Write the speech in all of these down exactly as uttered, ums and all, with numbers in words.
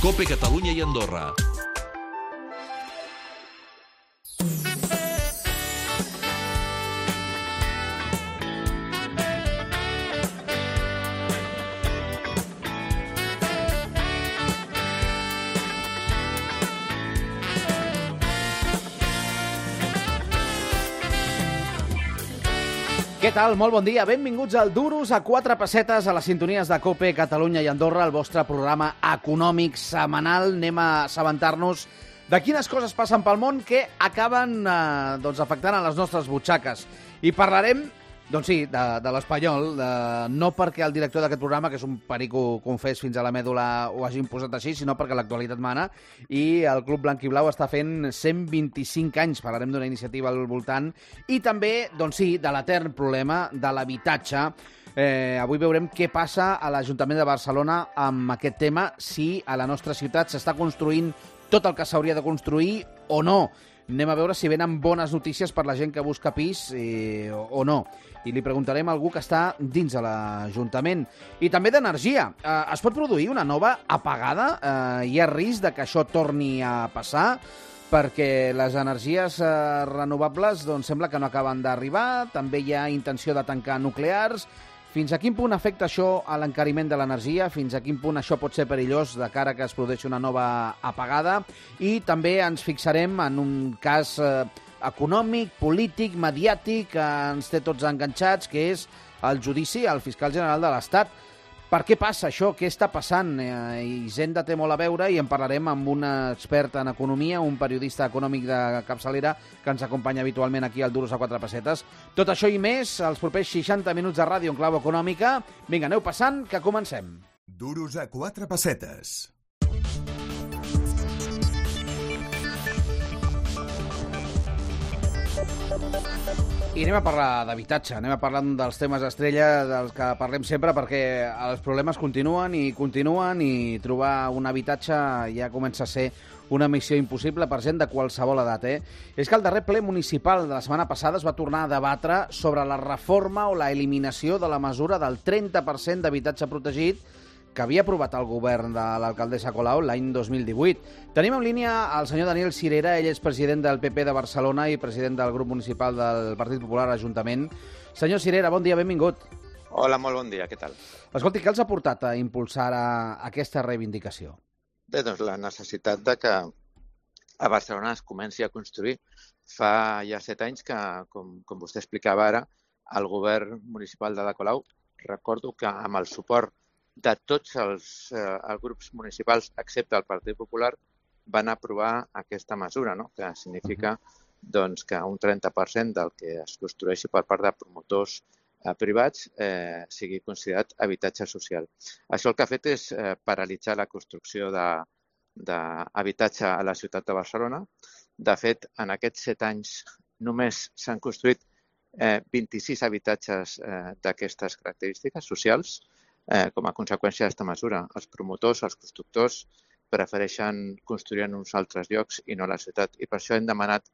COPE Catalunya i Andorra. Què tal? Molt bon dia. Benvinguts al Duros a quatre pessetes a les sintonies de COPE Catalunya i Andorra, el vostre programa econòmic setmanal. Anem a assabentar-nos de quines coses passen pel món que acaben eh, doncs, afectant a les nostres butxaques. I parlarem, doncs sí, de, de l'espanyol, de, no perquè el director d'aquest programa, que és un perico confés fins a la mèdula, ho hagi imposat així, sinó perquè l'actualitat mana i el Club Blanc i Blau està fent cent vint-i-cinc anys. Parlarem d'una iniciativa al voltant i també, doncs sí, de l'etern problema de l'habitatge. Eh, avui veurem què passa a l'Ajuntament de Barcelona amb aquest tema, si a la nostra ciutat s'està construint tot el que s'hauria de construir o no. Anem a veure si venen bones notícies per la gent que busca pis eh, o no. I li preguntarem a algú que està dins de l'Ajuntament. I també d'energia. Eh, es pot produir una nova apagada? Eh, hi ha risc de que això torni a passar? Perquè les energies eh, renovables doncs, sembla que no acaben d'arribar. També hi ha intenció de tancar nuclears. Fins a quin punt afecta això a l'encariment de l'energia? Fins a quin punt això pot ser perillós de cara que es produeixi una nova apagada? I també ens fixarem en un cas eh, econòmic, polític, mediàtic, que ens té tots enganxats, que és el judici al fiscal general de l'Estat. Per què passa això? Què està passant? Eh, Hisenda té molt a veure i en parlarem amb un expert en economia, un periodista econòmic de capçalera que ens acompanya habitualment aquí al Duros a quatre pessetes. Tot això i més, els propers seixanta minuts de ràdio en clau econòmica. Vinga, aneu passant, que comencem. Duros a quatre pessetes. I anem a parlar d'habitatge, anem a parlar dels temes estrella dels que parlem sempre, perquè els problemes continuen i continuen i trobar un habitatge ja comença a ser una missió impossible per gent de qualsevol edat. Eh? És que el darrer ple municipal de la setmana passada es va tornar a debatre sobre la reforma o la eliminació de la mesura del trenta per cent d'habitatge protegit que havia aprovat el govern de l'alcaldessa Colau l'any dos mil divuit. Tenim en línia el senyor Daniel Sirera, ell és president del P P de Barcelona i president del grup municipal del Partit Popular a l'Ajuntament. Senyor Sirera, bon dia, benvingut. Hola, molt bon dia, què tal? Escolti, què els ha portat a impulsar a aquesta reivindicació? Bé, doncs la necessitat de que a Barcelona es comenci a construir. Fa ja set anys que, com, com vostè explicava ara, el govern municipal de la Colau, recordo que amb el suport de tots els, eh, els grups municipals, excepte el Partit Popular, van aprovar aquesta mesura, no? Que significa doncs, que un trenta per cent del que es construeixi per part de promotors eh, privats eh, sigui considerat habitatge social. Això el que ha fet és eh, paralitzar la construcció d'habitatge a la ciutat de Barcelona. De fet, en aquests set anys només s'han construït eh, vint-i-sis habitatges eh, d'aquestes característiques socials. Eh, com a conseqüència d'aquesta mesura, els promotors, els constructors, prefereixen construir en uns altres llocs i no a la ciutat. I per això hem demanat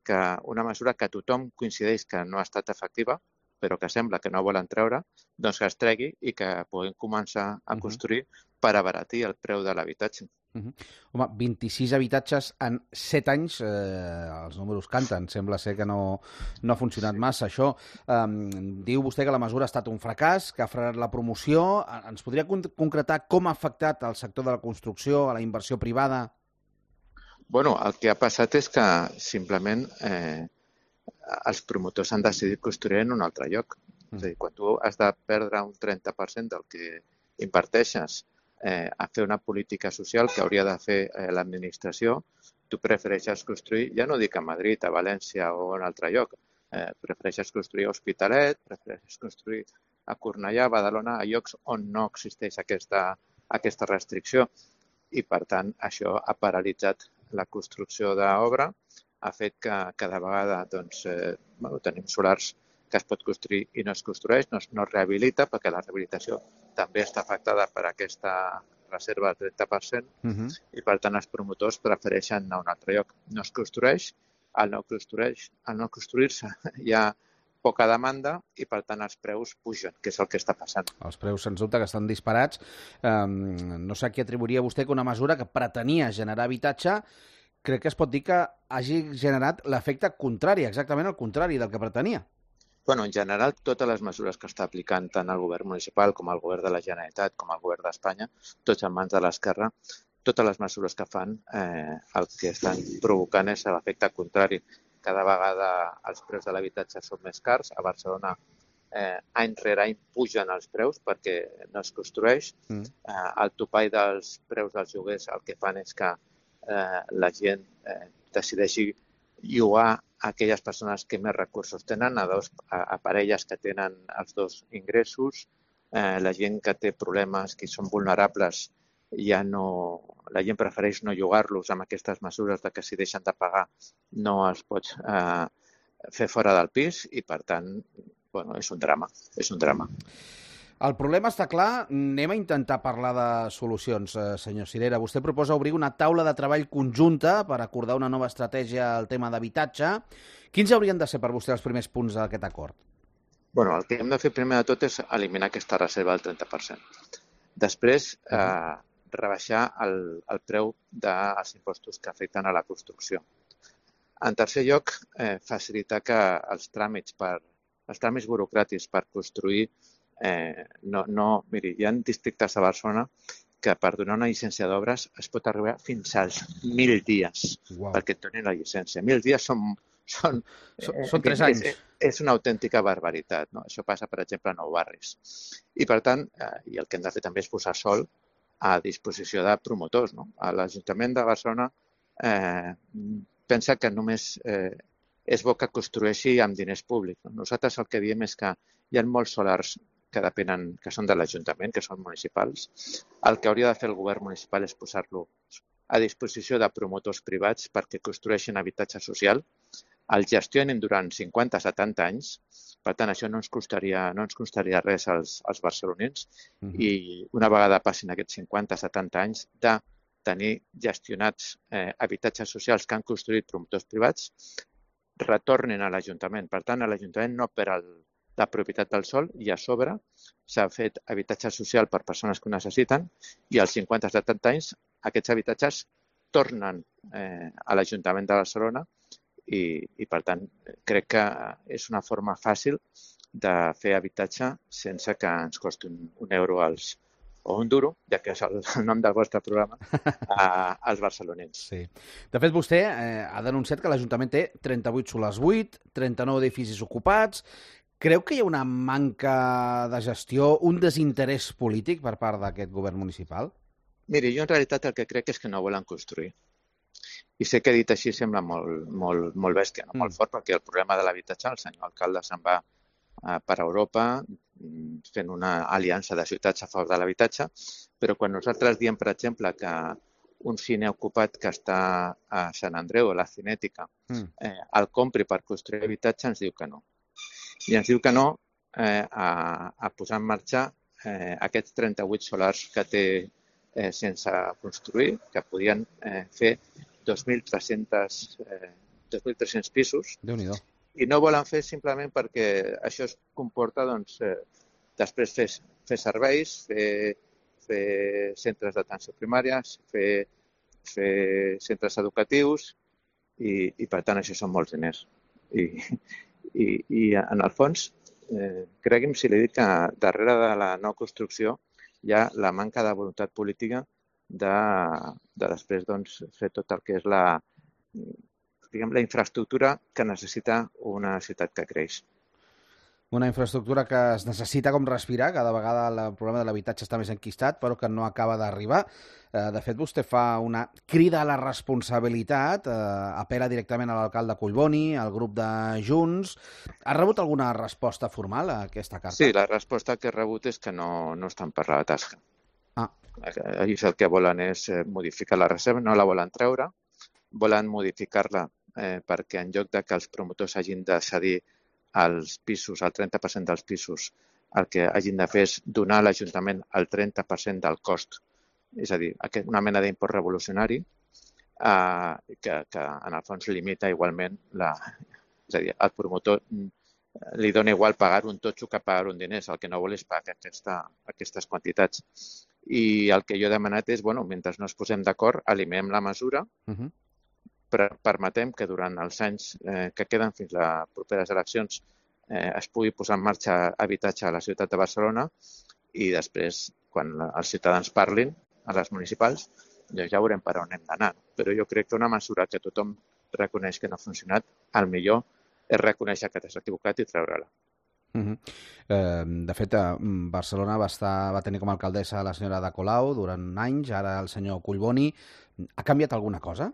que una mesura que tothom coincideix que no ha estat efectiva, però que sembla que no volen treure, doncs que es tregui i que puguem començar a construir per abaratir el preu de l'habitatge. Uh -huh. Home, vint-i-sis habitatges en set anys, eh, els números canten. Sembla ser que no, no ha funcionat massa, això. Um, diu vostè que la mesura ha estat un fracàs, que ha frenat la promoció. Ens podria con concretar com ha afectat el sector de la construcció, a la inversió privada? Bueno, el que ha passat és que simplement eh, els promotors han decidit construir en un altre lloc. Mm. És a dir, quan tu has de perdre un trenta per cent del que inverteixes eh, a fer una política social que hauria de fer eh, l'administració, tu prefereixes construir, ja no dic a Madrid, a València o en altre lloc, eh, prefereixes construir a Hospitalet, prefereixes construir a Cornellà, a Badalona, a llocs on no existeix aquesta, aquesta restricció. I, per tant, això ha paralitzat la construcció d'obra, ha fet que cada vegada doncs, eh, bueno, tenim solars que es pot construir i no es construeix, no es, no es rehabilita, perquè la rehabilitació també està afectada per aquesta reserva del trenta per cent, uh-huh. i per tant els promotors prefereixen anar a un altre lloc. No es construeix, al no construeix, al no construir-se hi ha poca demanda i, per tant, els preus pugen, que és el que està passant. Els preus, sens dubte, que estan disparats. Um, no sé a què atribuiria vostè que una mesura que pretenia generar habitatge, crec que es pot dir que hagi generat l'efecte contrari, exactament el contrari del que pretenia. Bueno, en general, totes les mesures que està aplicant tant el govern municipal com el govern de la Generalitat com el govern d'Espanya, tots en mans de l'esquerra, totes les mesures que fan eh, el que estan provocant és l'efecte contrari. Cada vegada els preus de l'habitatge són més cars. A Barcelona, eh, any rere any, pugen els preus perquè no es construeix. Mm. Eh, el topall dels preus dels lloguers el que fan és que eh, la gent eh, decideixi llogar a aquelles persones que més recursos tenen, a, dos, a, a parelles que tenen els dos ingressos, eh, la gent que té problemes, que són vulnerables, ja no, la gent prefereix no llogar-los amb aquestes mesures de que si deixen de pagar no els pots eh, fer fora del pis i, per tant, bueno, és un drama, és un drama. El problema està clar, anem a intentar parlar de solucions, eh, senyor Cirera. Vostè proposa obrir una taula de treball conjunta per acordar una nova estratègia al tema d'habitatge. Quins haurien de ser per vostè els primers punts d'aquest acord? Bueno, el que hem de fer primer de tot és eliminar aquesta reserva del trenta per cent. Després, eh, rebaixar el, el preu dels impostos que afecten a la construcció. En tercer lloc, eh, facilitar que els tràmits, per, els tràmits burocràtics per construir Eh, no, no, miri, hi ha districtes a Barcelona que per donar una llicència d'obres es pot arribar fins als mil dies wow. perquè et donin la llicència. Mil dies són... Són, són, eh, són tres anys. És, és una autèntica barbaritat. No? Això passa, per exemple, a Nou Barris. I, per tant, eh, i el que hem de fer també és posar sol a disposició de promotors. No? L'Ajuntament de Barcelona eh, pensa que només eh, és bo que construeixi amb diners públics. No? Nosaltres el que diem és que hi ha molts solars que depenen, que són de l'Ajuntament, que són municipals. El que hauria de fer el govern municipal és posar-lo a disposició de promotors privats perquè construeixin habitatge social, el gestionen durant cinquanta a setanta anys, per tant, això no ens costaria, no ens costaria res als, als barcelonins, uh-huh. i una vegada passin aquests cinquanta a setanta anys de tenir gestionats eh, habitatges socials que han construït promotors privats, retornin a l'Ajuntament. Per tant, a l'Ajuntament no per el la propietat del sòl i a sobre s'ha fet habitatge social per persones que ho necessiten i als cinquanta a setanta anys aquests habitatges tornen eh, a l'Ajuntament de Barcelona i, i, per tant, crec que és una forma fàcil de fer habitatge sense que ens costi un, un euro als, o un duro, ja que és el, el nom del vostre programa, a, als barcelonins. Sí. De fet, vostè eh, ha denunciat que l'Ajuntament té trenta-vuit solars buit, trenta-nou edificis ocupats. Creu que hi ha una manca de gestió, un desinterès polític per part d'aquest govern municipal? Miri, jo en realitat el que crec és que no volen construir. I sé que dit així sembla molt, molt, molt bèstia, no? mm. molt fort, perquè el problema de l'habitatge, el senyor alcalde se'n va eh, per Europa fent una aliança de ciutats a favor de l'habitatge, però quan nosaltres diem, per exemple, que un cine ocupat que està a Sant Andreu, a la Cinètica, mm. eh, el compri per construir habitatge, ens diu que no. I ens diu que no eh, a, a posar en marxa eh, aquests trenta-vuit solars que té eh, sense construir, que podien eh, fer dos mil tres-cents eh, dos mil tres-cents pisos. Déu-n'hi-do. I no volen fer simplement perquè això es comporta doncs, eh, després fer, fer serveis, fer, fer centres d'atenció primària, fer, fer centres educatius i, i, per tant, això són molts diners. I, I, i en el fons, eh, cregui'm si li dic que darrere de la no construcció hi ha la manca de voluntat política de, de després doncs, fer tot el que és la, diguem, la infraestructura que necessita una ciutat que creix. Una infraestructura que es necessita com respirar, cada vegada el problema de l'habitatge està més enquistat, però que no acaba d'arribar. De fet, vostè fa una crida a la responsabilitat, apel·la directament a l'alcalde Collboni, al grup de Junts. Ha rebut alguna resposta formal a aquesta carta? Sí, la resposta que he rebut és que no, no estan per la tasca. Ah. Ells el que volen és modificar la reserva, no la volen treure, volen modificar-la eh, perquè en lloc de que els promotors hagin de cedir els pisos, el trenta per cent dels pisos, el que hagin de fer és donar a l'Ajuntament el trenta per cent del cost. És a dir, una mena d'import revolucionari eh, que, que en el fons limita igualment la... És a dir, el promotor li dona igual pagar un totxo que pagar un diners. El que no vol és pagar aquesta, aquestes quantitats. I el que jo he demanat és, bueno, mentre no es posem d'acord, eliminem la mesura, uh -huh. però permetem que durant els anys eh, que queden fins a les properes eleccions eh, es pugui posar en marxa habitatge a la ciutat de Barcelona i després, quan els ciutadans parlin a les municipals, doncs ja veurem per on hem d'anar. Però jo crec que una mesura que tothom reconeix que no ha funcionat, el millor és reconèixer que t'has equivocat i treure-la. Uh -huh. eh, de fet, a Barcelona va, estar, va tenir com a alcaldessa la senyora Ada Colau durant anys, ara el senyor Collboni. Ha canviat alguna cosa?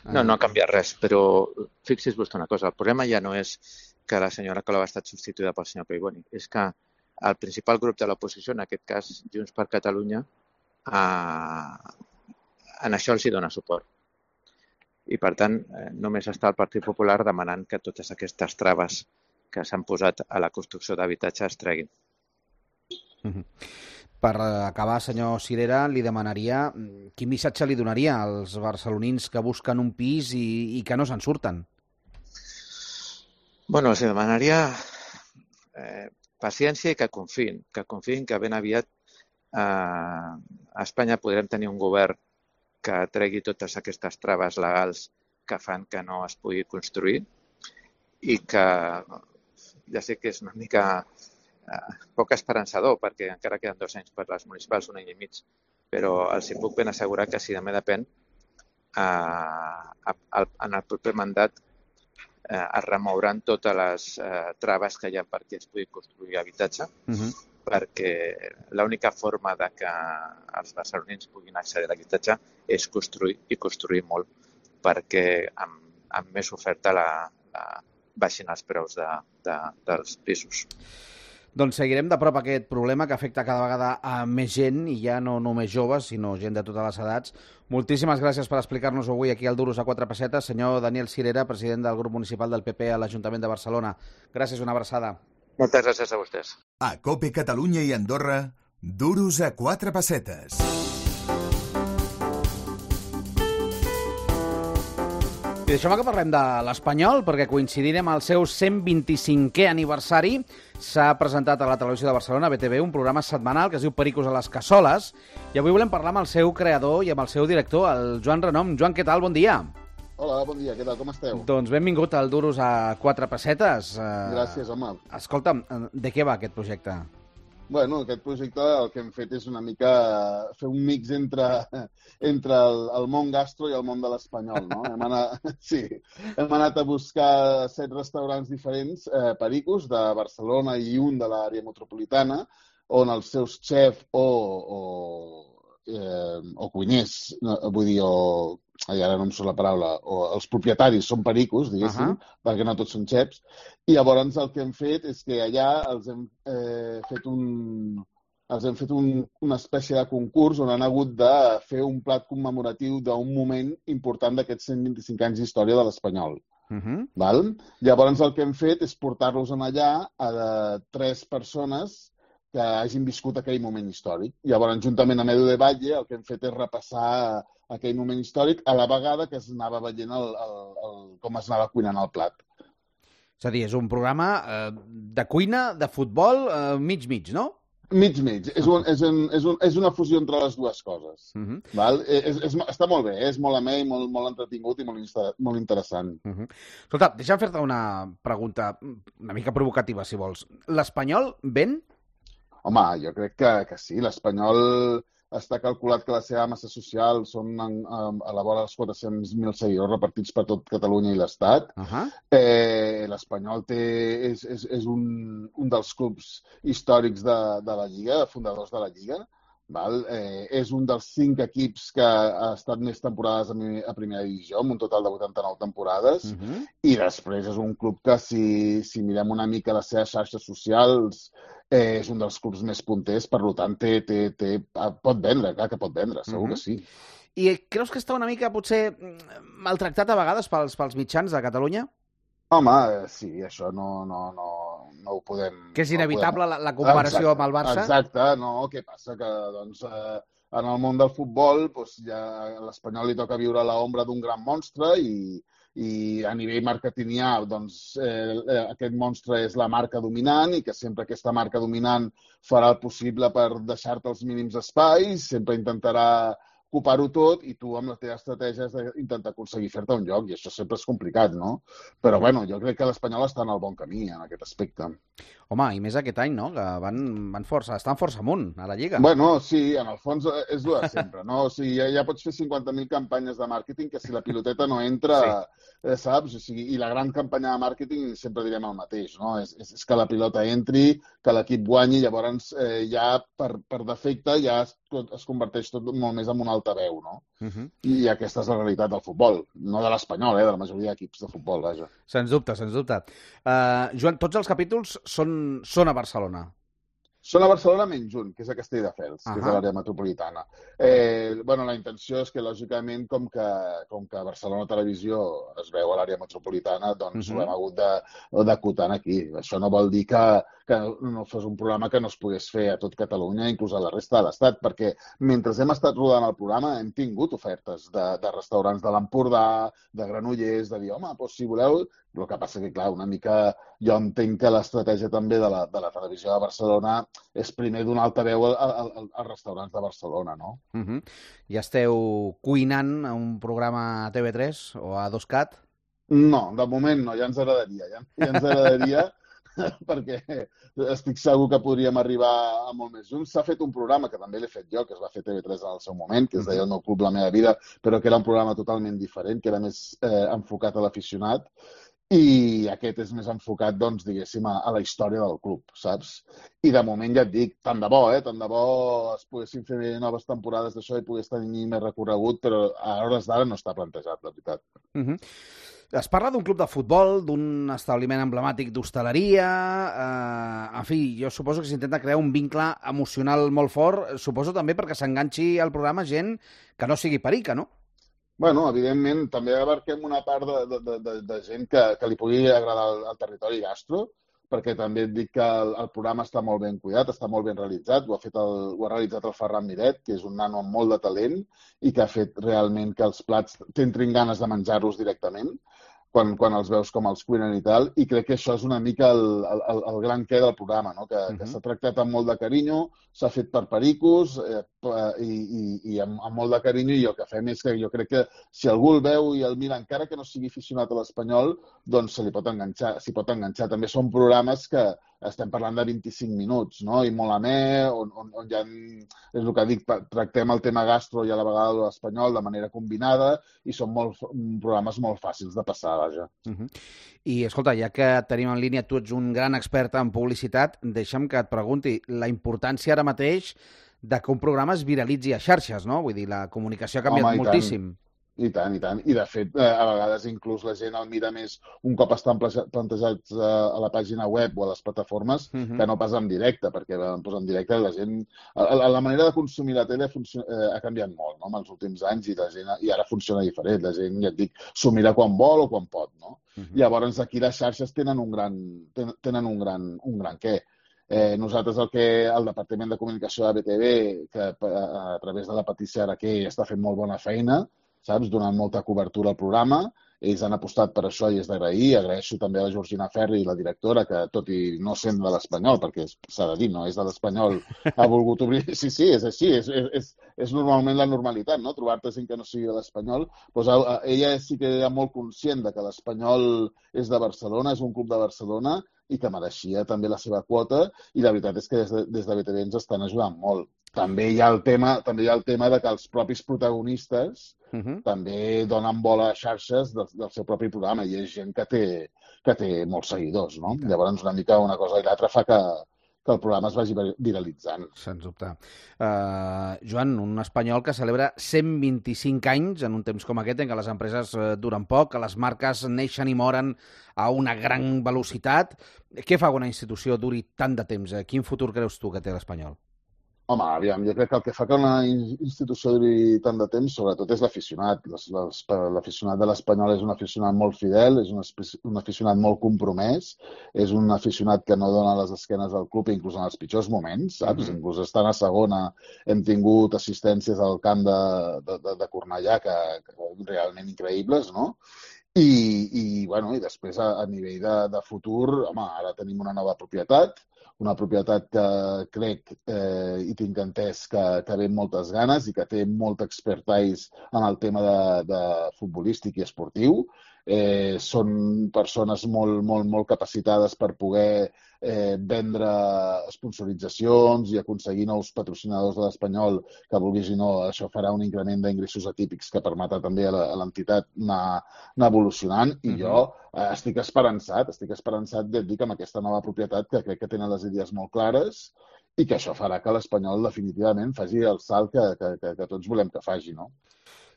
No, no ha canviat res, però fixi's vostè una cosa, el problema ja no és que la senyora Colau ha estat substituïda pel senyor Collboni, és que el principal grup de l'oposició, en aquest cas Junts per Catalunya, eh, en això els hi dona suport. I, per tant, eh, només està el Partit Popular demanant que totes aquestes traves que s'han posat a la construcció d'habitatge es treguin. Uh-huh. Per acabar, senyor Cirera, li demanaria quin missatge li donaria als barcelonins que busquen un pis i, i que no se'n surten? Bueno, els demanaria eh, paciència i que confiïn, que confiïn que ben aviat eh, a Espanya podrem tenir un govern que tregui totes aquestes traves legals que fan que no es pugui construir i que ja sé que és una mica eh, poc esperançador perquè encara queden dos anys per les municipals, un any i mig, però els hi puc ben assegurar que si de mi depèn, eh, en el proper mandat eh, es remouran totes les eh, traves que hi ha perquè es pugui construir habitatge, uh-huh. perquè l'única forma de que els barcelonins puguin accedir a l'habitatge és construir i construir molt, perquè amb, amb més oferta la, la baixin els preus de, de, dels pisos. Doncs seguirem de prop aquest problema que afecta cada vegada a més gent, i ja no només joves, sinó gent de totes les edats. Moltíssimes gràcies per explicar-nos avui aquí al Duros a quatre pessetes. Senyor Daniel Cirera, president del grup municipal del P P a l'Ajuntament de Barcelona. Gràcies, una abraçada. Moltes gràcies a vostès. A COPE Catalunya i Andorra, Duros a quatre pessetes. I deixem que parlem de l'Espanyol, perquè coincidint amb el seu cent vint-i-cinquè aniversari s'ha presentat a la televisió de Barcelona, B T V, un programa setmanal que es diu Pericos a les Cassoles, i avui volem parlar amb el seu creador i amb el seu director, el Joan Renom. Joan, què tal? Bon dia. Hola, bon dia, què tal? Com esteu? Doncs benvingut al Duros a quatre pessetes. Gràcies, home. Escolta'm, de què va aquest projecte? Bueno, aquest projecte el que hem fet és una mica fer un mix entre, entre el, el món gastro i el món de l'espanyol, no? hem, anat, sí, hem anat a buscar set restaurants diferents, eh, pericos, de Barcelona i un de l'àrea metropolitana, on els seus xefs o, o, eh, o cuiners, no, vull dir, o... Ai, ara no em surt la paraula, o els propietaris són pericos, diguéssim, uh-huh. perquè no tots són xefs, i llavors el que hem fet és que allà els hem eh, fet un els hem fet un, una espècie de concurs on han hagut de fer un plat commemoratiu d'un moment important d'aquests cent vint-i-cinc anys d'història de l'Espanyol. Uh-huh. Val? Llavors el que hem fet és portar-los en allà a de tres persones que hagin viscut aquell moment històric. Llavors, juntament amb Edu de Valle, el que hem fet és repassar aquell moment històric a la vegada que es anava veient el, el, el, com es anava cuinant el plat. És a dir, és un programa eh, de cuina, de futbol, eh, mig-mig, no? Mig-mig. És, un, és, un, és, un, és una fusió entre les dues coses. Uh-huh. Val? És, és, està molt bé, és molt amè i molt, molt entretingut i molt, molt interessant. Uh-huh. Escolta, deixa'm fer-te una pregunta una mica provocativa, si vols. L'Espanyol ven? Home, jo crec que, que sí. L'Espanyol està calculat que la seva massa social són en, en, a la vora dels quatre-cents mil seguidors repartits per tot Catalunya i l'Estat. Uh-huh. Eh, L'Espanyol té, és, és, és un, un dels clubs històrics de, de la Lliga, fundadors de la Lliga. Val? Eh, és un dels cinc equips que ha estat més temporades a, a primera divisió, amb un total de vuitanta-nou temporades, uh-huh. i després és un club que, si, si mirem una mica les seves xarxes socials, eh, és un dels clubs més punters, per tant, té, té, té, pot vendre, clar que pot vendre, segur uh-huh. que sí. I creus que està una mica, potser, maltractat a vegades pels, pels mitjans de Catalunya? Home, sí, això no, no, no, no ho podem... Que és inevitable no podem... la, la comparació exacte, amb el Barça? Exacte, no, què passa? Que, doncs, eh, en el món del futbol, doncs, ja a l'Espanyol li toca viure a l'ombra d'un gran monstre i, i a nivell marketingià doncs, eh, aquest monstre és la marca dominant i que sempre aquesta marca dominant farà el possible per deixar-te els mínims espais, sempre intentarà ocupar-ho tot i tu amb la teva estratègia has d'intentar aconseguir fer-te un lloc i això sempre és complicat, no? Però bueno, jo crec que l'Espanyol està en el bon camí en aquest aspecte. Home, i més aquest any, no? Que van, van força, estan força amunt a la Lliga. Bueno, sí, en el fons és el de sempre, no? O sigui, ja, ja pots fer cinquanta mil campanyes de màrqueting que si la piloteta no entra, sí. eh, saps? O sigui, i la gran campanya de màrqueting sempre direm el mateix, no? És, és, és que la pilota entri, que l'equip guanyi, llavors eh, ja per, per defecte ja es, es converteix tot molt més en un altaveu, no? Uh -huh. I aquesta és la realitat del futbol, no de l'Espanyol, eh? De la majoria d'equips de futbol, vaja. Sens dubte, sens dubte. Uh, Joan, tots els capítols són, són a Barcelona. Són a Barcelona menys un, que és a Castelldefels, uh -huh. que és a l'àrea metropolitana. Eh, bueno, la intenció és que, lògicament, com que, com que Barcelona Televisió es veu a l'àrea metropolitana, doncs uh -huh. ho hem hagut d'acotar aquí. Això no vol dir que, que no fos un programa que no es pogués fer a tot Catalunya, inclús a la resta de l'Estat, perquè mentre hem estat rodant el programa hem tingut ofertes de, de restaurants de l'Empordà, de Granollers, de dir, home, doncs, si voleu... El que passa que, clar, una mica jo entenc que l'estratègia també de la, de la televisió de Barcelona és primer donar altaveu als restaurants de Barcelona, no? Uh -huh. Ja esteu cuinant un programa a T V tres o a dos cat? No, de moment no, ja ens agradaria. Ja, ja ens agradaria perquè estic segur que podríem arribar a molt més junts. S'ha fet un programa que també l'he fet jo, que es va fer a T V tres en el seu moment, que es deia El meu club, la meva vida, però que era un programa totalment diferent, que era més eh, enfocat a l'aficionat. I aquest és més enfocat, doncs, diguéssim, a, a la història del club, saps? I de moment ja et dic, tant de bo, eh? Tant de bo es poguessin fer noves temporades d'això i pogués tenir més recorregut, però a hores d'ara no està plantejat, la veritat. Uh -huh. Es parla d'un club de futbol, d'un establiment emblemàtic d'hostaleria... Eh, en fi, jo suposo que s'intenta crear un vincle emocional molt fort, suposo també perquè s'enganxi al programa gent que no sigui perica, no? Bueno, evidentment, també abarquem una part de, de, de, de gent que, que li pugui agradar el, el territori gastro, perquè també et dic que el, el programa està molt ben cuidat, està molt ben realitzat, ho ha, fet el, ho ha realitzat el Ferran Miret, que és un nano amb molt de talent i que ha fet realment que els plats t'entrin ganes de menjar-los directament quan, quan els veus com els cuinen i tal, i crec que això és una mica el, el, el gran què del programa, no? que, uh -huh. que s'ha tractat amb molt de carinyo, s'ha fet per pericos eh, i, i, i amb, amb molt de carinyo, i el que fem és que jo crec que si algú el veu i el mira, encara que no sigui aficionat a l'Espanyol, doncs se li pot enganxar, s'hi pot enganxar. També són programes que estem parlant de vint-i-cinc minuts, no? I molt amè, on, on, on ja, és el que dic, tractem el tema gastro i a la vegada l'espanyol de manera combinada, i són molt, programes molt fàcils de passar, vaja. Uh -huh. I, escolta, ja que tenim en línia, tu ets un gran expert en publicitat, deixa'm que et pregunti la importància ara mateix de que un programa es viralitzi a xarxes, no? Vull dir, la comunicació ha canviat Home, moltíssim. Tant. I tant, i tant. I, de fet, a vegades inclús la gent el mira més un cop estan plantejats a la pàgina web o a les plataformes uh -huh. que no pas en directe, perquè doncs, en directe la gent... La, la manera de consumir la tele funciona, eh, ha canviat molt, no?, en els últims anys, i la gent i ara funciona diferent. La gent, ja et dic, s'ho mira quan vol o quan pot, no? Uh -huh. Llavors, aquí les xarxes tenen un gran, tenen un gran, un gran què. Eh, nosaltres el que el Departament de Comunicació de B T V, que a, a través de la Patricia Araqué està fent molt bona feina, saps, donant molta cobertura al programa. Ells han apostat per això i és d'agrair. Agraeixo també a la Georgina Ferri, la directora, que tot i no sent de l'Espanyol, perquè s'ha de dir, no és de l'Espanyol, ha volgut obrir... Sí, sí, és així, és, és, és normalment la normalitat, no?, trobar-te gent que no sigui de l'Espanyol. Pues ella sí que era molt conscient de que l'Espanyol és de Barcelona, és un club de Barcelona, i que mereixia també la seva quota, i la veritat és que des de, des de B T V ens estan ajudant molt. També hi ha el tema, també hi ha el tema de que els propis protagonistes Uh -huh. també donen bola a xarxes del, del seu propi programa, i és gent que té, que té molts seguidors, no? Okay. Llavors, una mica una cosa i l'altra fa que, que el programa es vagi viralitzant. Sens dubte. Uh, Joan, un espanyol que celebra cent vint-i-cinc anys en un temps com aquest, en què les empreses duren poc, que les marques neixen i moren a una gran velocitat. Què fa que una institució duri tant de temps? Quin futur creus tu que té l'Espanyol? Home, aviam, jo crec que el que fa que una institució duri tant de temps, sobretot, és l'aficionat. L'aficionat de l'Espanyol és un aficionat molt fidel, és un aficionat molt compromès, és un aficionat que no dona les esquenes al club, inclús en els pitjors moments, saps? Mm-hmm. Inclús estant a segona hem tingut assistències al camp de, de, de Cornellà que, que realment increïbles, no? I, i, bueno, i després a, a nivell de, de futur, home, ara tenim una nova propietat, una propietat que crec eh, i tinc entès que, que ve amb moltes ganes i que té molt expertise en el tema de, de futbolístic i esportiu. Eh, són persones molt, molt, molt capacitades per poder eh, vendre sponsoritzacions i aconseguir nous patrocinadors de l'Espanyol, que vulguis o no, això farà un increment d'ingressos atípics que permetrà també a l'entitat anar, anar evolucionant. I jo eh, estic esperançat, estic esperançat de dir que amb aquesta nova propietat, que crec que tenen les idees molt clares i que això farà que l'Espanyol definitivament faci el salt que, que, que, que tots volem que faci, no?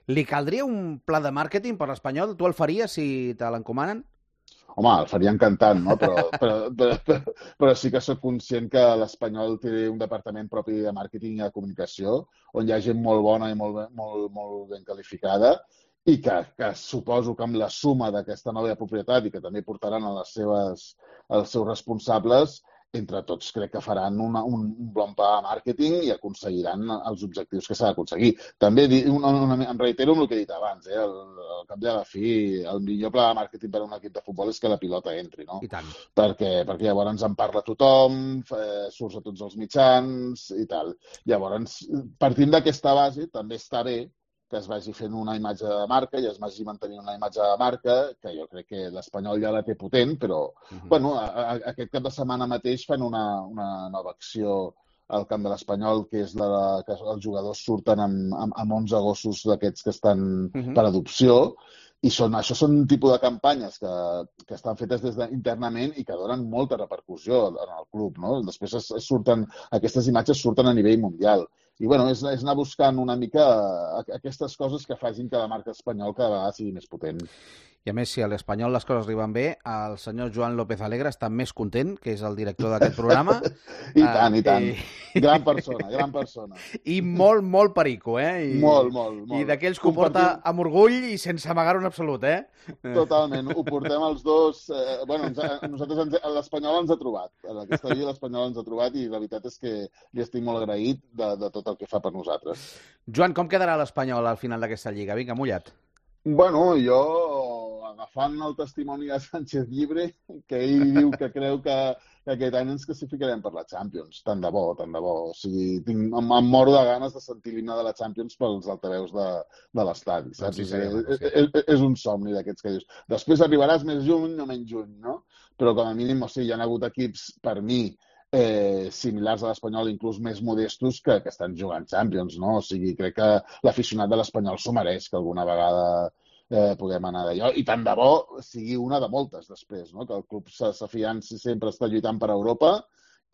Li caldria un pla de màrqueting per l'Espanyol? Tu el faries si te l'encomanen? Home, el faria encantant, no? Però, però, però, però, però sí que sóc conscient que l'Espanyol té un departament propi de màrqueting i de comunicació on hi ha gent molt bona i molt, molt, molt ben qualificada i que, que suposo que amb la suma d'aquesta nova propietat i que també portaran a les seves, als seus responsables, entre tots crec que faran una, un, un bon pla de màrqueting i aconseguiran els objectius que s'ha d'aconseguir. També una, una, em reitero amb el que he dit abans, eh? el, el cap de la fi, el millor pla de màrqueting per a un equip de futbol és que la pilota entri, no? I tant. Perquè, perquè llavors en parla tothom, eh, surts a tots els mitjans i tal. Llavors, partint d'aquesta base, també està bé que es vagi fent una imatge de marca i es vagi mantenint una imatge de marca, que jo crec que l'Espanyol ja la té potent, però uh-huh. bueno, a, a, aquest cap de setmana mateix fan una, una nova acció al camp de l'Espanyol, que és la de, que els jugadors surten amb, amb, amb onze gossos d'aquests que estan uh-huh. per adopció, i són, això són un tipus de campanyes que, que estan fetes des de, internament i que donen molta repercussió en el club, no? Després es, es surten, aquestes imatges surten a nivell mundial. I bueno, és, és anar buscant una mica aquestes coses que facin que la marca espanyol cada vegada sigui més potent. I a més, si a l'Espanyol les coses li van bé, el senyor Joan López Alegre està més content, que és el director d'aquest programa. I tant, i tant. I... Gran persona, gran persona. I molt, molt perico, eh? I... Molt, molt, molt. I d'aquells que ho porta amb orgull i sense amagar-ho en absolut, eh? Totalment, ho portem els dos. Eh, bueno, ens, nosaltres, ens, l'Espanyol ens ha trobat. En aquesta vida l'Espanyol ens ha trobat i la veritat és que li estic molt agraït de, de tot el que fa per nosaltres. Joan, com quedarà l'Espanyol al final d'aquesta lliga? Vinga, mullat. Bueno, jo, agafant el testimoni de Sánchez Llibre, que ell diu que creu que, que aquest any ens classificarem per la Champions. Tant de bo, tant de bo. O sigui, tinc, em, em moro de ganes de sentir l'himne de la Champions pels altaveus de, de l'estadi, saps? Sí, sí, és, és, és un somni d'aquests que dius. Després arribaràs més juny o menys juny, no? Però com a mínim, o sigui, hi ha hagut equips, per mi, Eh, similars a l'Espanyol, inclús més modestos, que, que estan jugant Champions, no? O sigui, crec que l'aficionat de l'Espanyol s'ho mereix, que alguna vegada eh, puguem anar d'allò, i tant de bo sigui una de moltes després, no? Que el club s'afianci sempre està lluitant per Europa,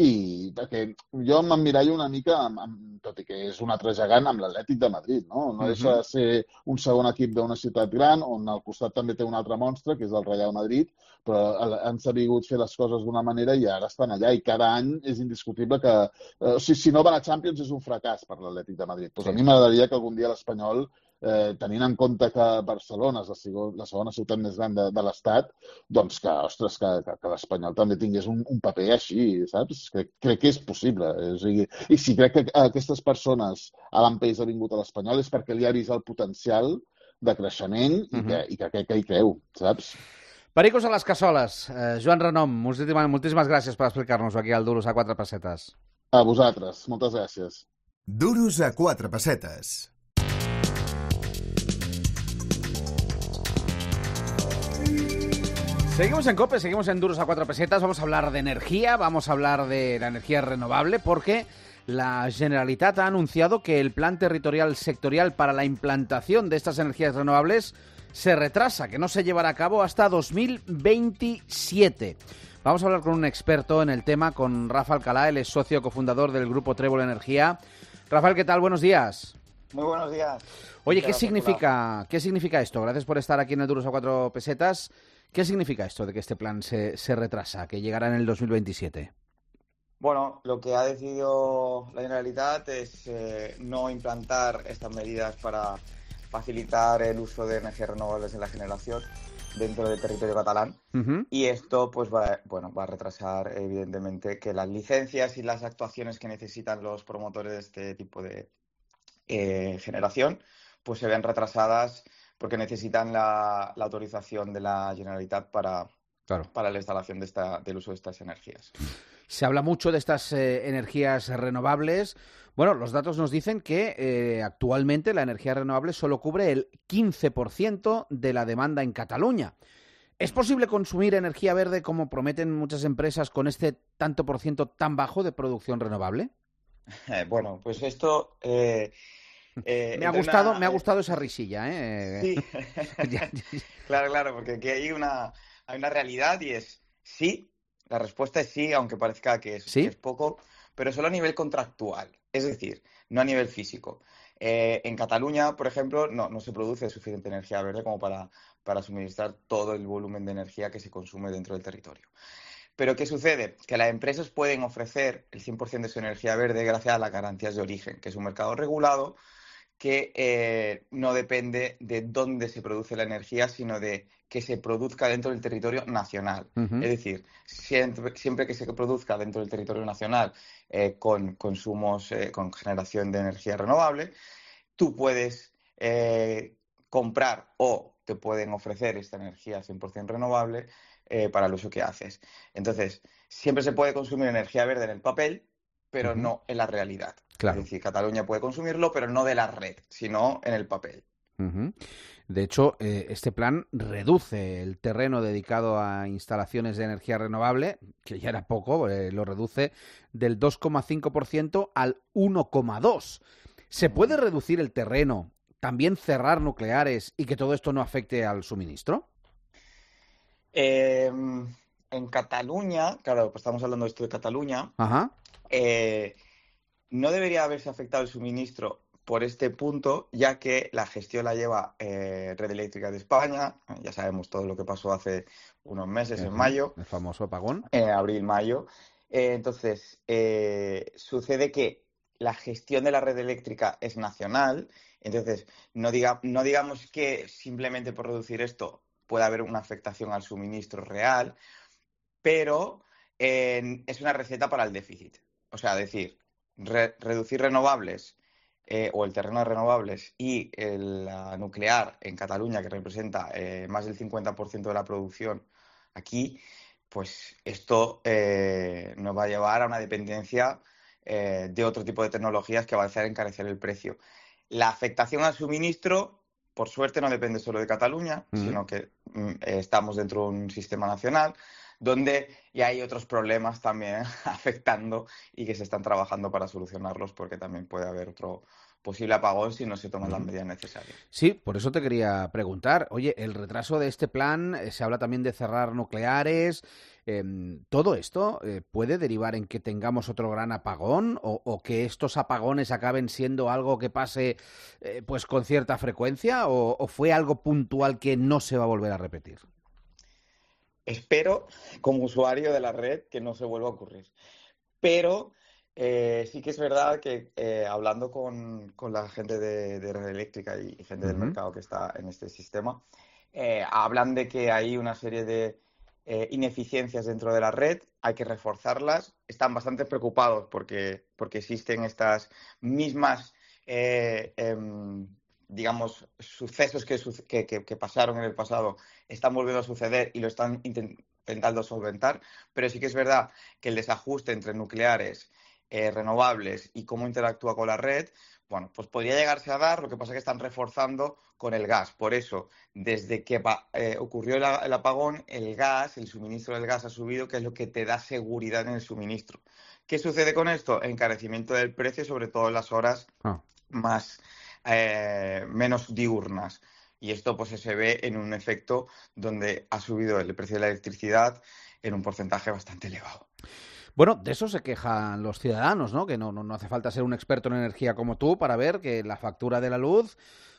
i perquè jo m'emmirallo una mica, amb, amb, tot i que és un altre gegant, amb l'Atlètic de Madrid, no? No deixa de ser un segon equip d'una ciutat gran, on al costat també té un altre monstre, que és el Real Madrid, però han sabut fer les coses d'una manera i ara estan allà, i cada any és indiscutible que... Eh, o sigui, si no van a Champions és un fracàs per l'Atlètic de Madrid. Pues a mi m'agradaria que algun dia l'Espanyol, eh, tenint en compte que Barcelona és la segona, la segona ciutat més gran de, de l'Estat, doncs que, ostres, que, que, que l'Espanyol també tingués un, un paper així, saps? Crec, crec que és possible. O sigui, i si crec que aquestes persones, Alan Pace ha vingut a l'Espanyol, és perquè li ha vist el potencial de creixement i uh-huh. que, i que, que, que hi creu, saps? Pericos a les cassoles. Eh, Joan Renom, moltíssimes, moltíssimes gràcies per explicar-nos aquí al Duros a quatre pessetes. A vosaltres, moltes gràcies. Duros a quatre pessetes. Seguimos en COPE, seguimos en Duros a cuatro pesetas, vamos a hablar de energía, vamos a hablar de la energía renovable, porque la Generalitat ha anunciado que el plan territorial sectorial para la implantación de estas energías renovables se retrasa, que no se llevará a cabo hasta dos mil veintisiete. Vamos a hablar con un experto en el tema, con Rafa Alcalá, él es socio cofundador del grupo Trébol Energía. Rafael, ¿qué tal? Buenos días. Muy buenos días. Oye, ¿qué significa, ¿qué significa esto? Gracias por estar aquí en el Duros a cuatro pesetas. ¿Qué significa esto de que este plan se, se retrasa, que llegará en el dos mil veintisiete? Bueno, lo que ha decidido la Generalitat es eh, no implantar estas medidas para facilitar el uso de energías renovables en la generación dentro del territorio catalán. Uh-huh. Y esto pues va, bueno, va a retrasar evidentemente que las licencias y las actuaciones que necesitan los promotores de este tipo de eh, generación pues se vean retrasadas porque necesitan la, la autorización de la Generalitat para, claro. para la instalación de esta, del uso de estas energías. Se habla mucho de estas eh, energías renovables. Bueno, los datos nos dicen que eh, actualmente la energía renovable solo cubre el quince por ciento de la demanda en Cataluña. ¿Es posible consumir energía verde como prometen muchas empresas con este tanto por ciento tan bajo de producción renovable? Eh, bueno, pues esto... Eh, eh, me, ha gustado, una... me ha gustado esa risilla, ¿eh? Sí, claro, claro, porque aquí hay una, hay una realidad y es sí. La respuesta es sí, aunque parezca que es, ¿Sí? que es poco, pero solo a nivel contractual, es decir, no a nivel físico. Eh, en Cataluña, por ejemplo, no, no se produce suficiente energía verde como para, para suministrar todo el volumen de energía que se consume dentro del territorio. Pero ¿qué sucede? Que las empresas pueden ofrecer el cien por ciento de su energía verde gracias a las garantías de origen, que es un mercado regulado que eh, no depende de dónde se produce la energía, sino de que se produzca dentro del territorio nacional. Uh-huh. Es decir, siempre, siempre que se produzca dentro del territorio nacional eh, con consumos, eh, con generación de energía renovable, tú puedes eh, comprar o te pueden ofrecer esta energía cien por ciento renovable eh, para el uso que haces. Entonces, siempre se puede consumir energía verde en el papel, pero uh-huh. no en la realidad. Claro. Es decir, Cataluña puede consumirlo, pero no de la red, sino en el papel. Uh-huh. De hecho, eh, este plan reduce el terreno dedicado a instalaciones de energía renovable, que ya era poco, eh, lo reduce del dos coma cinco por ciento al uno coma dos por ciento. ¿Se puede reducir el terreno, también cerrar nucleares y que todo esto no afecte al suministro? Eh, en Cataluña, claro, pues estamos hablando de esto de Cataluña, Ajá. Eh, no debería haberse afectado el suministro por este punto, ya que la gestión la lleva eh, Red Eléctrica de España. Ya sabemos todo lo que pasó hace unos meses, uh-huh. en mayo. El famoso apagón. En eh, abril, mayo. Eh, entonces, eh, sucede que la gestión de la red eléctrica es nacional. Entonces, no, diga, no digamos que simplemente por reducir esto pueda haber una afectación al suministro real, pero eh, es una receta para el déficit. O sea, decir, re reducir renovables eh, o el terreno de renovables y el, la nuclear en Cataluña, que representa eh, más del cincuenta por ciento de la producción aquí, pues esto eh, nos va a llevar a una dependencia eh, de otro tipo de tecnologías que va a hacer encarecer el precio. La afectación al suministro, por suerte, no depende solo de Cataluña, mm. sino que mm, estamos dentro de un sistema nacional donde ya hay otros problemas también afectando y que se están trabajando para solucionarlos, porque también puede haber otro posible apagón si no se toman las medidas necesarias. Sí, por eso te quería preguntar. Oye, el retraso de este plan, eh, se habla también de cerrar nucleares. Eh, ¿Todo esto eh, puede derivar en que tengamos otro gran apagón o, o que estos apagones acaben siendo algo que pase eh, pues con cierta frecuencia o, o fue algo puntual que no se va a volver a repetir? Espero, como usuario de la red, que no se vuelva a ocurrir. Pero eh, sí que es verdad que eh, hablando con, con la gente de, de Red Eléctrica y gente uh-huh. del mercado que está en este sistema, eh, hablan de que hay una serie de eh, ineficiencias dentro de la red, hay que reforzarlas. Están bastante preocupados porque, porque existen estas mismas... Eh, eh, digamos, sucesos que, que, que, que pasaron en el pasado están volviendo a suceder y lo están intentando solventar, pero sí que es verdad que el desajuste entre nucleares, eh, renovables y cómo interactúa con la red, bueno, pues podría llegarse a dar, lo que pasa es que están reforzando con el gas. Por eso, desde que eh, ocurrió el, el apagón, el gas, el suministro del gas ha subido, que es lo que te da seguridad en el suministro. ¿Qué sucede con esto? Encarecimiento del precio, sobre todo en las horas ah. más... Eh, menos diurnas, y esto pues se ve en un efecto donde ha subido el precio de la electricidad en un porcentaje bastante elevado. Bueno, de eso se quejan los ciudadanos, ¿no? Que no, no, no hace falta ser un experto en energía como tú para ver que la factura de la luz,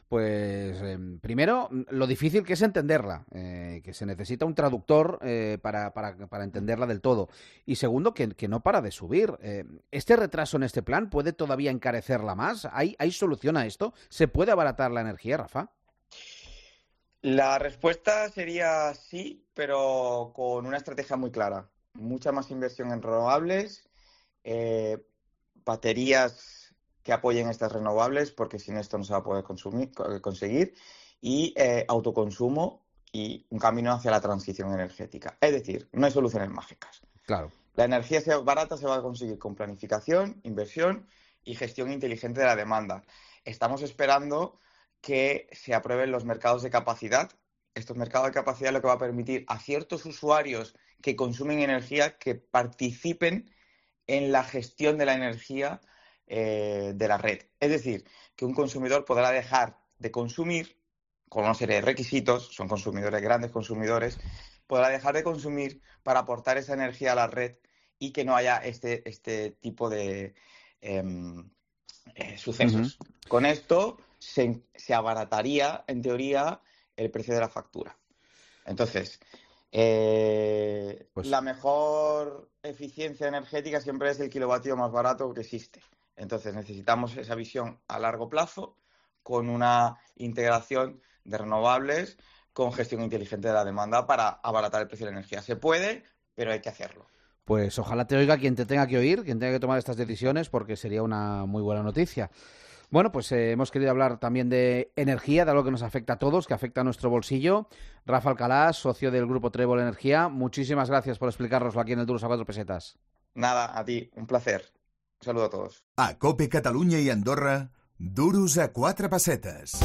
pues eh, primero, lo difícil que es entenderla, eh, que se necesita un traductor eh, para, para, para entenderla del todo. Y segundo, que, que no para de subir. Eh, ¿Este retraso en este plan puede todavía encarecerla más? ¿Hay, ¿Hay solución a esto? ¿Se puede abaratar la energía, Rafa? La respuesta sería sí, pero con una estrategia muy clara. Mucha más inversión en renovables, eh, baterías que apoyen estas renovables, porque sin esto no se va a poder consumir, conseguir, y eh, autoconsumo y un camino hacia la transición energética. Es decir, no hay soluciones mágicas. Claro. La energía barata se va a conseguir con planificación, inversión y gestión inteligente de la demanda. Estamos esperando que se aprueben los mercados de capacidad. Estos mercados de capacidad lo que va a permitir a ciertos usuarios que consumen energía que participen en la gestión de la energía eh, de la red. Es decir, que un consumidor podrá dejar de consumir con una serie de requisitos, son consumidores, grandes consumidores, podrá dejar de consumir para aportar esa energía a la red y que no haya este, este tipo de eh, eh, sucesos. Uh-huh. Con esto se, se abarataría, en teoría, el precio de la factura. Entonces, eh, pues... la mejor eficiencia energética siempre es el kilovatio más barato que existe. Entonces, necesitamos esa visión a largo plazo con una integración de renovables con gestión inteligente de la demanda para abaratar el precio de la energía. Se puede, pero hay que hacerlo. Pues ojalá te oiga quien te tenga que oír, quien tenga que tomar estas decisiones, porque sería una muy buena noticia. Bueno, pues eh, hemos querido hablar también de energía, de algo que nos afecta a todos, que afecta a nuestro bolsillo. Rafa Alcalá, socio del Grupo Trébol Energía, muchísimas gracias por explicárnoslo aquí en el Duros a cuatro pesetas. Nada, a ti, un placer. Un saludo a todos. A COPE Catalunya i Andorra, Duros a quatre pessetes.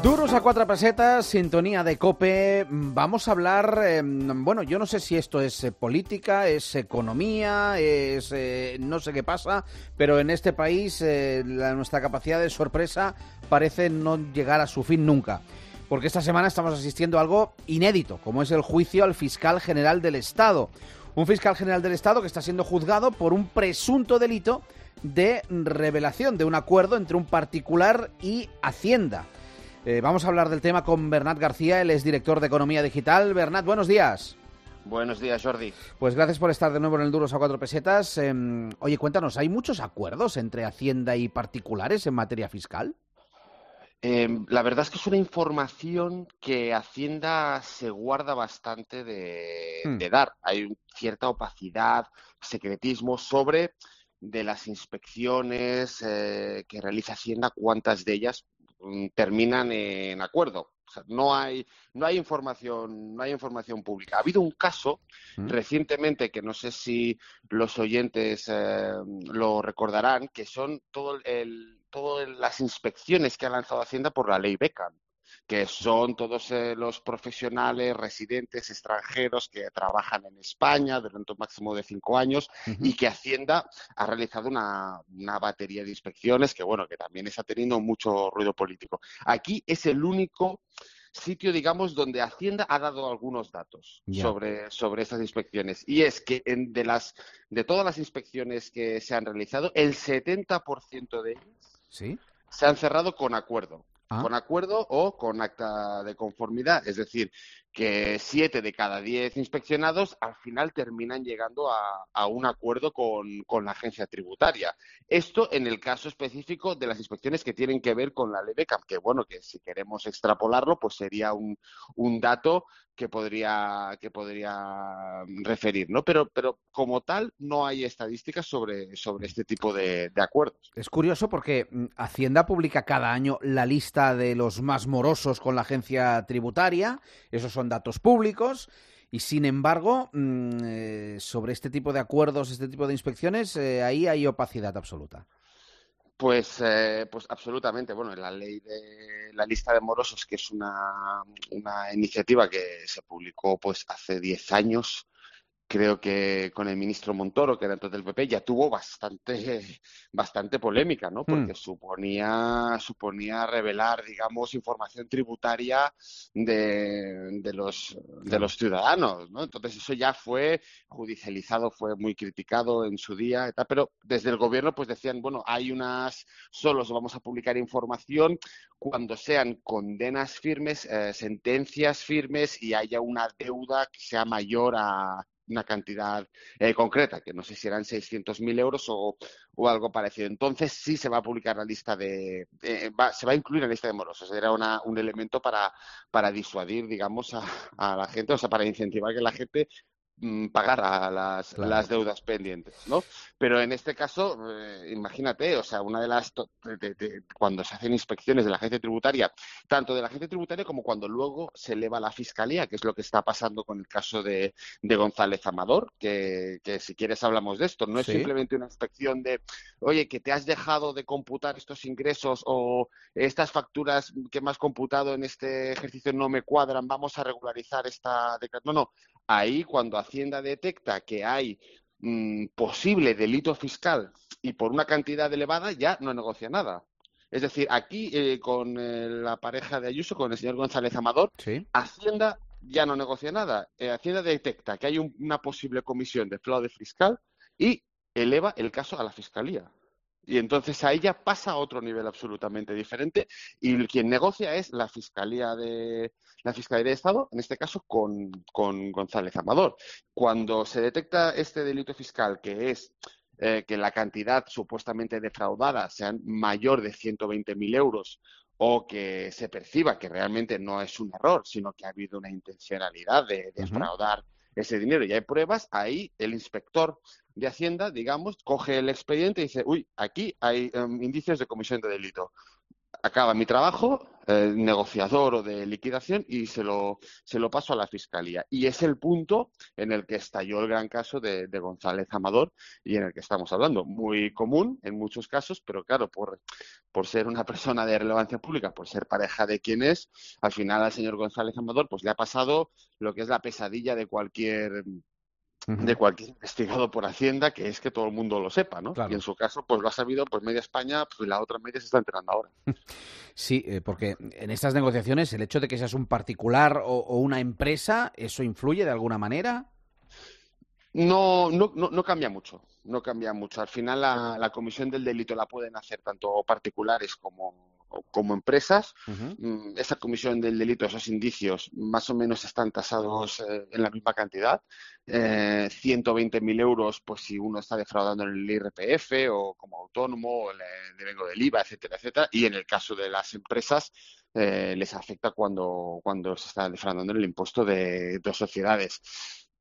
Duros a cuatro pesetas, sintonía de COPE. Vamos a hablar, eh, bueno, yo no sé si esto es eh, política, es economía, es eh, no sé qué pasa, pero en este país eh, la, nuestra capacidad de sorpresa parece no llegar a su fin nunca. Porque esta semana estamos asistiendo a algo inédito, como es el juicio al fiscal general del Estado. Un fiscal general del Estado que está siendo juzgado por un presunto delito de revelación de un acuerdo entre un particular y Hacienda. Eh, vamos a hablar del tema con Bernat García, él es director de Economía Digital. Bernat, buenos días. Buenos días, Jordi. Pues gracias por estar de nuevo en el Duros a cuatro pesetas. Eh, oye, cuéntanos, ¿hay muchos acuerdos entre Hacienda y particulares en materia fiscal? Eh, la verdad es que es una información que Hacienda se guarda bastante de, hmm. de dar. Hay cierta opacidad, secretismo sobre de las inspecciones eh, que realiza Hacienda, cuántas de ellas terminan en acuerdo. O sea, no hay no hay información no hay información pública. Ha habido un caso ¿Mm? recientemente que no sé si los oyentes eh, lo recordarán, que son todo el todas las inspecciones que ha lanzado Hacienda por la ley Beckham, que son todos eh, los profesionales residentes extranjeros que trabajan en España durante un máximo de cinco años uh-huh. y que Hacienda ha realizado una, una batería de inspecciones que, bueno, que también está teniendo mucho ruido político. Aquí es el único sitio, digamos, donde Hacienda ha dado algunos datos yeah. sobre, sobre estas inspecciones. Y es que en, de, las, de todas las inspecciones que se han realizado, el setenta por ciento de ellas ¿Sí? se han cerrado con acuerdo. ¿Ah? Con acuerdo o con acta de conformidad. Es decir, que siete de cada diez inspeccionados al final terminan llegando a, a un acuerdo con, con la agencia tributaria. Esto en el caso específico de las inspecciones que tienen que ver con la ley Beckham, que bueno, que si queremos extrapolarlo, pues sería un, un dato que podría, que podría referir, ¿no? Pero, pero como tal no hay estadísticas sobre, sobre este tipo de, de acuerdos. Es curioso porque Hacienda publica cada año la lista de los más morosos con la agencia tributaria. Esos son datos públicos y, sin embargo, mmm, sobre este tipo de acuerdos, este tipo de inspecciones, eh, ahí hay opacidad absoluta. Pues, eh, pues absolutamente. Bueno, la ley de la lista de morosos, que es una, una iniciativa que se publicó pues hace diez años, creo que con el ministro Montoro, que era entonces del P P, ya tuvo bastante, bastante polémica, ¿no? Porque mm. suponía, suponía revelar, digamos, información tributaria de, de los, de los ciudadanos, ¿no? Entonces eso ya fue judicializado, fue muy criticado en su día, y tal, pero desde el gobierno pues decían, bueno, hay unas, solo vamos a publicar información cuando sean condenas firmes, eh, sentencias firmes y haya una deuda que sea mayor a una cantidad eh, concreta, que no sé si eran seiscientos mil euros o, o algo parecido. Entonces sí se va a publicar la lista de... Eh, va, se va a incluir en la lista de morosos. Era una, un elemento para, para disuadir, digamos, a, a la gente, o sea, para incentivar que la gente pagar a las, claro. las deudas pendientes, ¿no? Pero en este caso, eh, imagínate, o sea, una de las de, de, de, cuando se hacen inspecciones de la agencia tributaria, tanto de la agencia tributaria como cuando luego se eleva a la fiscalía, que es lo que está pasando con el caso de, de González Amador, que, que si quieres hablamos de esto, no es sí. simplemente una inspección de, oye, que te has dejado de computar estos ingresos o estas facturas que me has computado en este ejercicio no me cuadran, vamos a regularizar esta declaración. No, no. Ahí, cuando Hacienda detecta que hay mmm, posible delito fiscal y por una cantidad elevada, ya no negocia nada. Es decir, aquí eh, con eh, la pareja de Ayuso, con el señor González Amador, sí. Hacienda ya no negocia nada. Eh, Hacienda detecta que hay un, una posible comisión de fraude fiscal y eleva el caso a la Fiscalía. Y entonces ahí ya pasa a otro nivel absolutamente diferente y quien negocia es la Fiscalía de la Fiscalía de Estado, en este caso con, con González Amador. Cuando se detecta este delito fiscal, que es eh, que la cantidad supuestamente defraudada sea mayor de ciento veinte mil euros o que se perciba que realmente no es un error, sino que ha habido una intencionalidad de defraudar uh-huh. ese dinero y hay pruebas, ahí el inspector de Hacienda, digamos, coge el expediente y dice, uy, aquí hay um, indicios de comisión de delito. Acaba mi trabajo, eh, negociador o de liquidación, y se lo, se lo paso a la Fiscalía. Y es el punto en el que estalló el gran caso de, de González Amador y en el que estamos hablando. Muy común en muchos casos, pero claro, por, por ser una persona de relevancia pública, por ser pareja de quien es, al final al señor González Amador pues le ha pasado lo que es la pesadilla de cualquier... de cualquier investigado por Hacienda, que es que todo el mundo lo sepa, ¿no? Claro. Y en su caso, pues lo ha sabido pues media España, pues la otra media se está enterando ahora. Sí, eh, porque en estas negociaciones el hecho de que seas un particular o, o una empresa, ¿eso influye de alguna manera? No, no, no, no cambia mucho, no cambia mucho. Al final la, la comisión del delito la pueden hacer tanto particulares como como empresas. Uh-huh. Esa comisión del delito, esos indicios, más o menos están tasados eh, en la misma cantidad. Eh, ciento veinte mil euros, pues si uno está defraudando en el I R P F o como autónomo, o el devengo del I V A, etcétera, etcétera. Y en el caso de las empresas, eh, les afecta cuando, cuando se está defraudando en el impuesto de, de sociedades.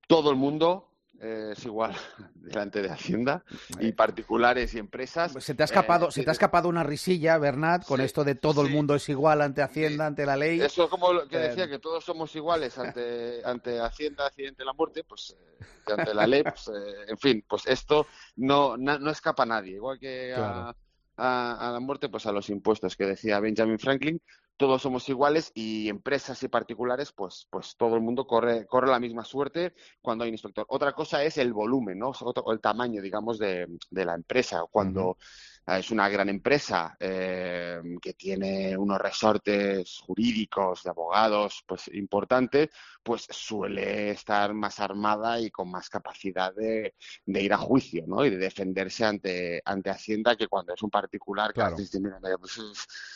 Todo el mundo Eh, es igual delante de Hacienda y particulares y empresas. Se te ha escapado, eh, se te ha escapado una risilla, Bernat, con sí, esto de todo sí. el mundo es igual ante Hacienda, ante la ley. Eso como lo que decía, eh... que todos somos iguales ante ante Hacienda, accidente, la muerte, pues eh, ante la ley, pues eh, en fin, pues esto no, no, no escapa a nadie, igual que claro. a, a, a la muerte, pues a los impuestos que decía Benjamin Franklin. Todos somos iguales y empresas y particulares, pues, pues todo el mundo corre, corre la misma suerte cuando hay un inspector. Otra cosa es el volumen, ¿no? O el tamaño, digamos, de, de la empresa. Cuando uh-huh. es una gran empresa eh, que tiene unos resortes jurídicos de abogados, pues importantes, pues suele estar más armada y con más capacidad de, de ir a juicio, ¿no? Y de defenderse ante, ante Hacienda, que cuando es un particular, claro. que dice, mira, pues,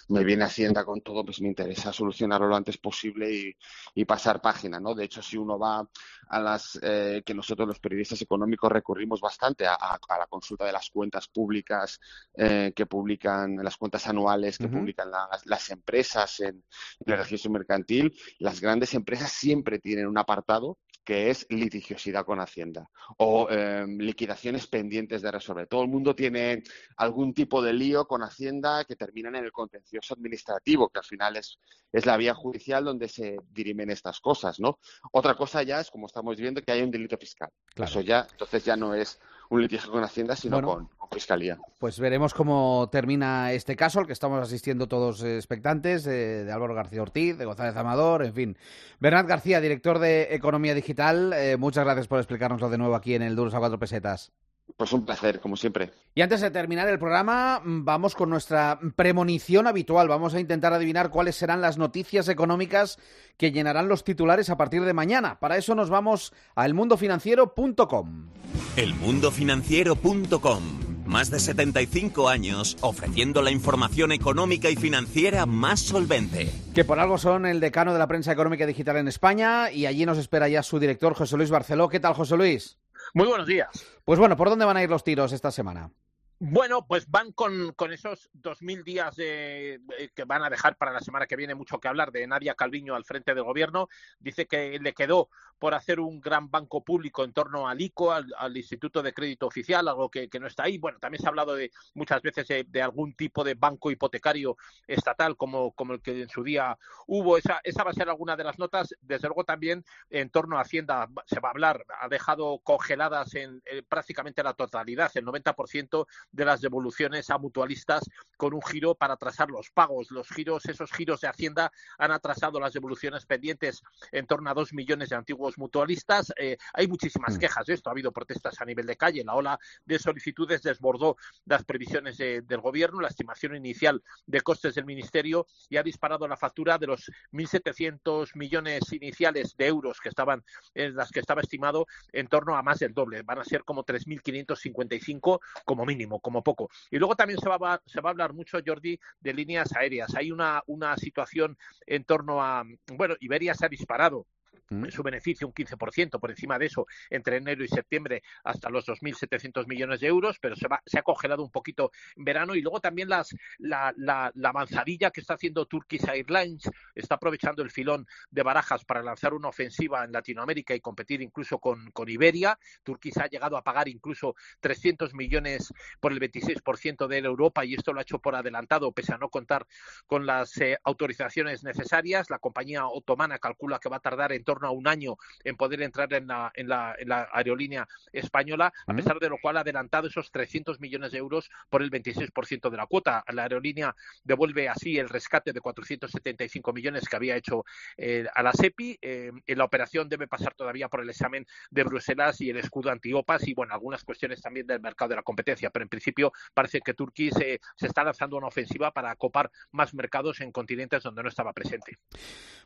me viene Hacienda con todo, pues me interesa solucionarlo lo antes posible y, y pasar página, ¿no? De hecho, si uno va a las eh, que nosotros los periodistas económicos recurrimos bastante a, a, a la consulta de las cuentas públicas eh, que publican, las cuentas anuales que uh-huh. publican las, las empresas en, en el registro mercantil, las grandes empresas siempre tienen un apartado que es litigiosidad con Hacienda o eh, liquidaciones pendientes de resolver. Todo el mundo tiene algún tipo de lío con Hacienda que terminan en el contencioso administrativo, que al final es, es la vía judicial donde se dirimen estas cosas, ¿no? Otra cosa ya es, como estamos viendo, que hay un delito fiscal. Claro. Eso ya, entonces ya no es un litigio con Hacienda, sino bueno, con, con Fiscalía. Pues veremos cómo termina este caso, al que estamos asistiendo todos expectantes, eh, de Álvaro García Ortiz, de González Amador, en fin. Bernat García, director de Economía Digital, eh, muchas gracias por explicárnoslo de nuevo aquí en el Duros a Cuatro Pesetas. Pues un placer, como siempre. Y antes de terminar el programa, vamos con nuestra premonición habitual. Vamos a intentar adivinar cuáles serán las noticias económicas que llenarán los titulares a partir de mañana. Para eso nos vamos a el mundo financiero punto com. el mundo financiero punto com. Más de setenta y cinco años ofreciendo la información económica y financiera más solvente. Que por algo son el decano de la prensa económica digital en España, y allí nos espera ya su director, José Luis Barceló. ¿Qué tal, José Luis? Muy buenos días. Pues bueno, ¿por dónde van a ir los tiros esta semana? Bueno, pues van con, con esos dos mil días de, que van a dejar para la semana que viene mucho que hablar de Nadia Calviño al frente del gobierno. Dice que le quedó por hacer un gran banco público en torno al I C O, al, al Instituto de Crédito Oficial, algo que, que no está ahí. Bueno, también se ha hablado de muchas veces de, de algún tipo de banco hipotecario estatal como, como el que en su día hubo. Esa, esa va a ser alguna de las notas. Desde luego también en torno a Hacienda se va a hablar. Ha dejado congeladas en, en prácticamente la totalidad, el noventa por ciento de las devoluciones a mutualistas con un giro para atrasar los pagos. Los giros, esos giros de Hacienda han atrasado las devoluciones pendientes en torno a dos millones de antiguos mutualistas. Eh, hay muchísimas quejas de esto. Ha habido protestas a nivel de calle. La ola de solicitudes desbordó las previsiones de, del gobierno, la estimación inicial de costes del ministerio y ha disparado la factura de los mil setecientos millones iniciales de euros que estaban en las que estaba estimado en torno a más del doble. Van a ser como tres mil quinientos cincuenta y cinco como mínimo, como poco. Y luego también se va, se va a hablar mucho, Jordi, de líneas aéreas. Hay una, una situación en torno a... Bueno, Iberia se ha disparado en su beneficio un quince por ciento por encima de eso entre enero y septiembre hasta los dos mil setecientos millones de euros, pero se, va, se ha congelado un poquito en verano. Y luego también las, la, la, la avanzadilla que está haciendo Turkish Airlines, está aprovechando el filón de Barajas para lanzar una ofensiva en Latinoamérica y competir incluso con, con Iberia. Turkish ha llegado a pagar incluso trescientos millones por el veintiséis por ciento de Europa y esto lo ha hecho por adelantado pese a no contar con las eh, autorizaciones necesarias. La compañía otomana calcula que va a tardar en torno a un año en poder entrar en la, en la, en la aerolínea española, a pesar de lo cual ha adelantado esos trescientos millones de euros por el veintiséis por ciento de la cuota. La aerolínea devuelve así el rescate de cuatrocientos setenta y cinco millones que había hecho eh, a la SEPI. Eh, en la operación debe pasar todavía por el examen de Bruselas y el escudo anti-OPAS y, bueno, algunas cuestiones también del mercado de la competencia, pero en principio parece que Turquía se, se está lanzando una ofensiva para copar más mercados en continentes donde no estaba presente.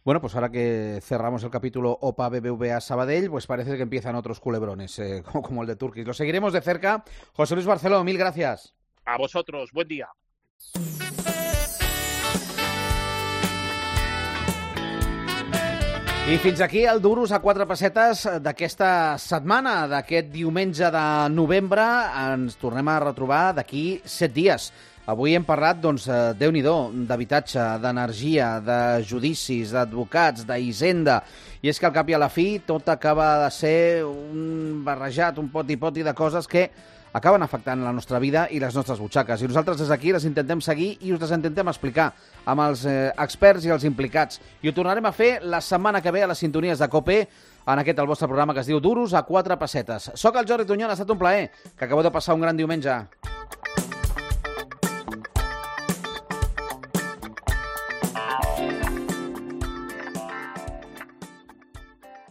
Bueno, pues ahora que cerramos el capítulo O P A B B V A Sabadell, pues parece que empiezan otros culebrones, eh, como, como el de Turquía. Lo seguiremos de cerca. José Luis Barceló, mil gracias. A vosotros, buen día. I fins aquí el Duros a quatre pessetes d'aquesta setmana, d'aquest diumenge de novembre. Ens tornem a retrobar d'aquí set dies. Avui hem parlat, doncs, Déu-n'hi-do, d'habitatge, d'energia, de judicis, d'advocats, d'hisenda. I és que al cap i a la fi tot acaba de ser un barrejat, un poti-poti de coses que acaben afectant la nostra vida i les nostres butxaques. I nosaltres des d'aquí les intentem seguir i us les intentem explicar amb els eh, experts i els implicats. I ho tornarem a fer la setmana que ve a les sintonies de COPE en aquest el vostre programa que es diu Duros a quatre pessetes. Soc el Jordi Tunyón, ha estat un plaer. Que acabeu de passar un gran diumenge.